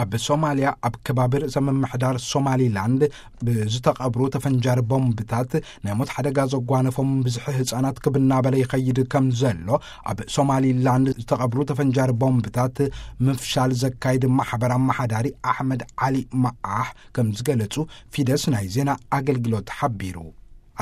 ኣብ ሶማልያ ኣብ ከባቢ ርእሰ ምምሕዳር ሶማሊላንድ ብዝተቐብሩ ተፈንጃሪ ቦምብታት ናይ ሞት ሓደጋ ዘጓነፎም ብዝሒ ህፃናት ክብናበለ ይኸይድ ከም ዘሎ ኣብ ሶማሊላንድ ዝተቐብሩ ተፈንጃሪ ቦምብታት ምፍሻል ዘካይድ ማሕበር ኣመሓዳሪ ኣሕመድ ዓሊ መዓሕ ከም ዝገለጹ ፊደስ ናይ ዜና ኣገልግሎት ሓቢሩ።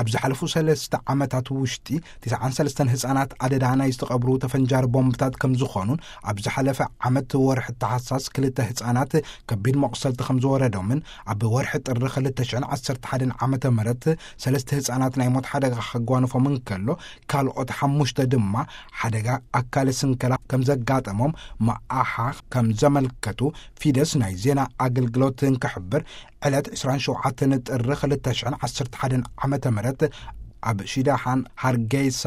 ኣብ ዝሓለፉ ሰለስተ ዓመታት ውሽጢ ትስዓን ሰለስተን ህፃናት ኣደዳ ናይ ዝተቐብሩ ተፈንጃሪ ቦምብታት ከም ዝኾኑን ኣብ ዝሓለፈ ዓመት ወርሒ ተሓሳስ ክልተ ህፃናት ከቢድ መቑሰልቲ ከም ዝወረዶምን ኣብ ወርሒ ጥሪ ክልተ ሽሕን ዓሰርተ ሓደን ዓመተ ምህረት ሰለስተ ህፃናት ናይ ሞት ሓደጋ ከጓንፎም እንከሎ ካልኦት ሓሙሽተ ድማ ሓደጋ ኣካለ ስንከላ ከም ዘጋጠሞም መኣሓ ከም ዘመልከቱ ፊደስ ናይ ዜና ኣገልግሎት እንክሕብር ዕለት ዕስራን ሸውዓተን ጥሪ ክልተ ሽሕን ዓሰርተ ሓደን ዓመተ ምህረት ኣብ ሺዳሓን ሃርጌሳ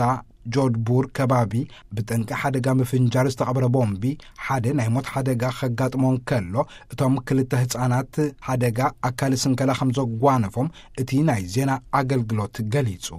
ጆድቡር ከባቢ ብጠንቂ ሓደጋ ምፍንጃር ዝተቐብረ ቦምቢ ሓደ ናይ ሞት ሓደጋ ከጋጥሞ እንከሎ እቶም ክልተ ህፃናት ሓደጋ ኣካል ስንከላ ከም ዘጓነፎም እቲ ናይ ዜና ኣገልግሎት ገሊጹ።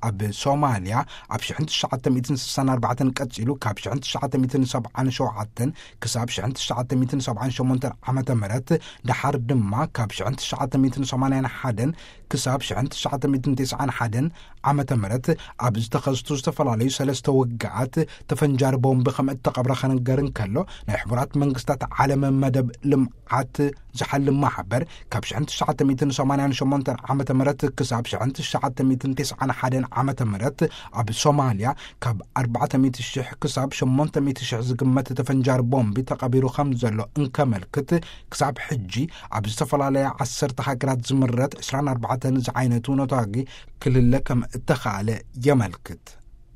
ኣብ ሶማልያ ኣብ ሽሕን ትሽዓተ ሚእትን ስሳን ኣርባዕተን ቀጺሉ ካብ ሽሕን ትሽዓተ ሚእትን ሰብዓን ሸውዓተን ክሳብ ሽሕን ትሽዓተ ሚእትን ሰብዓን ሸሞንተን ዓመተ ምህረት ደሓር ድማ ካብ ሽሕን ትሽዓተ ሚእትን ሰማንያን ሓደን ክሳብ ሽሕን ትሽዓተ ሚእትን ተስዓን ሓደን ዓመተ ምህረት ኣብ ዝተኸስቱ ዝተፈላለዩ ሰለስተ ውግኣት ተፈንጃሪ ቦምቢ ከም እተቐብረ ከነገር እንከሎ ናይ ሕቡራት መንግስታት ዓለም መደብ ልምዓት ዝሓልም ማሕበር ካብ ሽሕን ትሽዓተ ሚእትን ሰማንያን ሸሞንተን ዓመተ ምህረት ክሳብ ሽሕን ትሽዓተ ሚእትን ተስዓን ሓደን ዓመተ ምህረት ኣብ ሶማልያ ካብ ኣርባዕተ ሚእቲ ሽሕ ክሳብ ሸሞንተ ሚእቲ ሽሕ ዝግመት ተፈንጃሪ ቦምቢ ተቐቢሩ ከም ዘሎ እንከመልክት ክሳብ ሕጂ ኣብ ዝተፈላለያ ዓሰርተ ሃገራት ዝምረት ዕስራን ኣርባዕተን ዝዓይነቱ ነታጊ ክልለ ከም እተኻእለ የመልክት።